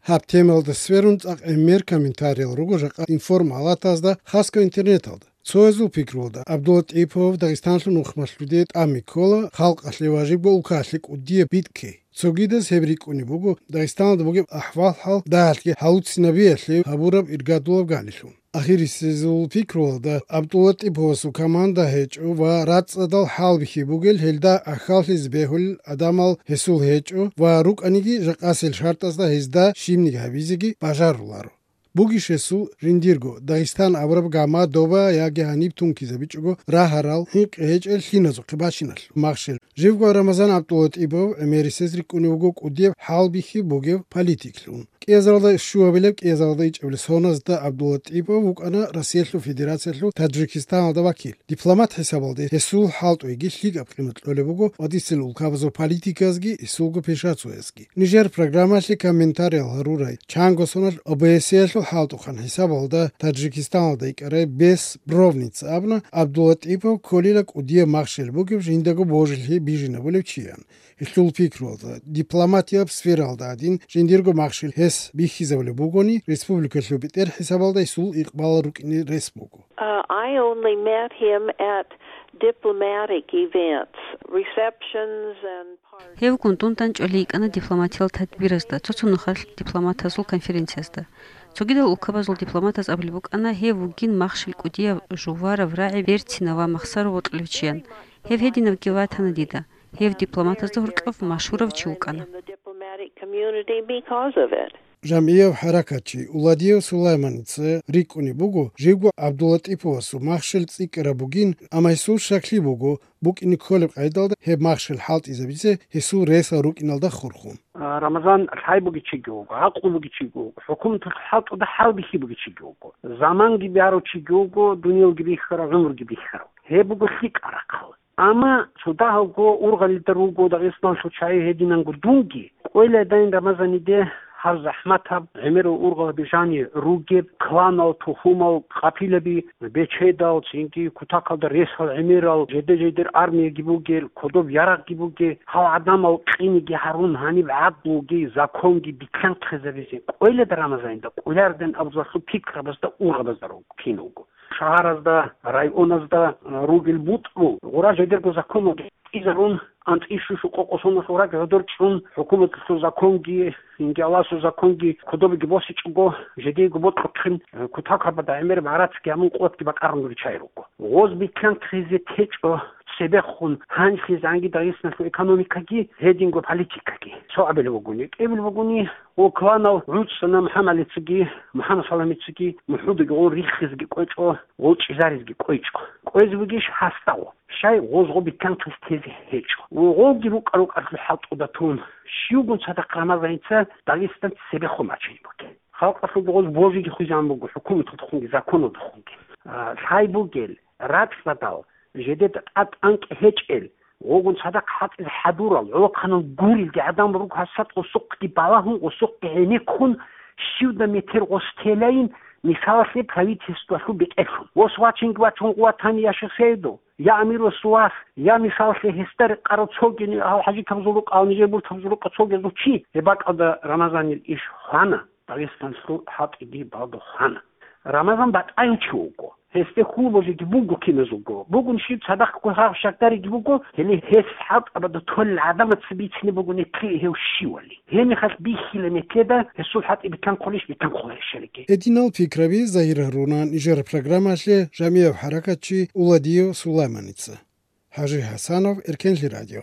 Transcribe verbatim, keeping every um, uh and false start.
Гьаб темалда сверун цӀакъ гӀемер комментариял руго жакъа информалатазда, хасго интернеталда. Цоязул пикрулда, ГӀабдуллатӀипов Дагъистанлъун ухмалъуде тӀами ккола, халкъалъе ва жибго улкаялъе кӀудияб битӀкей. Цогидаз гьеб рикӀкӀунеб буго Дагъистаналда бугеб ахӀвал-хӀал дагьалъги гьалуцинабиялъе гьабураб иргадулаб галилъун. Ахирисезул пикруялда ГӀабдуллатӀиповасул команда гьечӀо ва рацӀцӀадал хӀалбихьи бугел гьелда ахьаллъизе бегьулел адамал гьесул гьечӀо ва рукӀаниги жакъасел шартӀазда гьезда щибниги гьабизеги бажаруларо. Бугищ гьесул жиндирго Дагъистан абураб гама доба яги гьаниб тункизабичӀого рагьарал хӀинкъи гьечӀел лъиназухъе бачиналъул махщел. Живго Рамазан ГӀабдуллатӀипов гӀемерисез рикӀкӀунев вуго кӀудияб хӀалбихьи бугев политиклъун. КӀиазаралда щуабилеб, кӀиазаралда ичӀабилеб соназда ГӀабдуллатӀипов вукӀана Россиялъул Федерациялъул Таджикистаналда вакил. Дипломат хӀисабалде гьесул хӀалтӀуйги лъикӀаб къимат кьолеб буго ва дицин улкабазул политиказги гьесулго пешацоязги. Нижер программалъе комментариял гьарурай чанго соналъ ОБСЕялъул хӀалтӀухъан хӀисабалда Таджикистаналда икӀарай Бес Бровница абуна, ГӀабдуллатӀипов кколила кӀудияб махщел бугеб жиндаго божилъи бижинабулев чиян. Гьелъул пикруялда, дипломатияб сфералда гӀадин, жиндирго махщел гьес бихьизабулеб бугони, республикалъул бетӀер хӀисабалда гьесул икъбал рукӀине рес буго. Uh, I only met him at diplomatic events, receptions and parties. Гьев гундун данчӀвали йикӀана дипломатиял тадбиразда, цо-цо нухалъ дипломатазул конференциязда. Цогидал улкабазул дипломатаз абулеб букӀана, гьев вугин махщел кӀудияв, жуварав, рагӀи берцинав ва махсаро вокьулев чиян. Гьев гьединавги ватана дида. Гьев дипломатазда гьоркьов машгьурав чи вукӀана. Жамгьияв хӀаракатчи Уладиев Сулайманица рикӀкӀунеб буго, живго ГӀабдуллатӀиповасул махщел цӀикӀкӀараб бугин, амма гьесул щаклъи буго, букӀине кколеб къайдалда гьеб махщел хӀалтӀизабизе гьесул ресал рукӀиналда хурхун. А, Рамазан лъай буги чиги вуго, гӀакълу буги чиги вуго, хӀукуматалъул хӀалтӀуда хӀалбихьи буги чиги вуго, заманги барав чиги вуго, дуниялги бихьарав, гӀумруги бихьарав. Гьеб буго лъикӀаб рахъал. Амма цо дагьабго ургъалида руго Дагъистаналъул чагӀи гьединанго дунги, кӀвелайдайин Рамазаниде гьаб захӀматаб, гӀемерал ургъалаби жани ругеб, кланал, тухумал, къапилаби, бечедал, цинги кутакалда ресал гӀемерал, жеде-жедер армияги бугел, кодоб ярагъги бугел, гьал гӀадамал къиниги гьарун гьаниб гӀадлуги, законги биканхъизабизе кӀвелайда Рамазанида, кӀвелайдайин абуралъул пикрабазда, ургъабазда руго, кин вуго. Шагьаразда, районазда, а, ругел бутӀрул, гъура жидерго законалги тӀизарун, анцӀила щуго къокъосуналъул ракӀ гӀодор чӀун, хӀукуматалъул законги, инги Аллагьасул законги кодобеги босичӀого, жидейго бокьухъин, а, кутакабада гӀемер багӀрацги гьабун къотӀги бакъарун ричай руго. Гъоз биканхъизе течӀо цебехун гьанлъизанги Дагъистаналъул экономикаги, гьединго политикаги. Цо абилеб бугони, кӀиабилеб бугони, Гъо кланал гӀуцӀцӀана МухӀаммадицаги, МухӀаммад Саламицаги, мухӀудаги гъо риххизеги кӀвечӀо, гъо чӀезаризеги кӀвечӀо. КӀвезе бугищ гьасда гъо? Щай гъоз гъо биканхъизе тезе гьечӀо. Ва гъоги рукӀа-рукӀалъул хӀалтӀуда тун, щивгун цадахъ Рамазаница Дагъистаналъ цебехун бачине бугеб. Халкъалъулги гъоз божиги хвезабун буго, хӀукуматалдехунги, законалдехунги. А, лъай бугел, рацӀцӀадал, жидеда тӀад анкь гьечӀел, гъогун цадахъ хӀалтӀизе хӀадурал, гӀолохъанал гурелги гӀадамал руго гьасда гъосухъги балагьун, гъосухъги гӀенеккун, щивда метер гъос телайин, мисалалъе, правительствалъул бетӀерлъун. Гъос вачинги вачун гъуватани, я Шихсайдов, я Амир Расулас, я, мисалалъе, гьесда рекъарав цогени, гьал ХӀажи Кабзурукъа, гьал нижер бур Кабзурукъа цогезул чи, гьеб бакӀалда Рамазанил иш хвана. Дагъистаналъул хӀалтӀиги балдухъана. Рамазан батӀаяв чи вуго. Гьесде хьул божиги буго киназулго. Бугун щив цадахъго гьав щакдариги буго, гьеле гьес хӀалтӀабада толел гӀадамаца бицине буго нилъее гьев щивали. Гьеб мехалъ бихьила нилъеда гьесул хӀалтӀи биканхъулищ, биканхъуларищалиги. Гьединал пикраби загьир гьаруна нижер программалъе жамгӀияб хӀаракатчи Уладиев Сулайманица. ХӀажи ХӀасанов, Эркенлъи радио.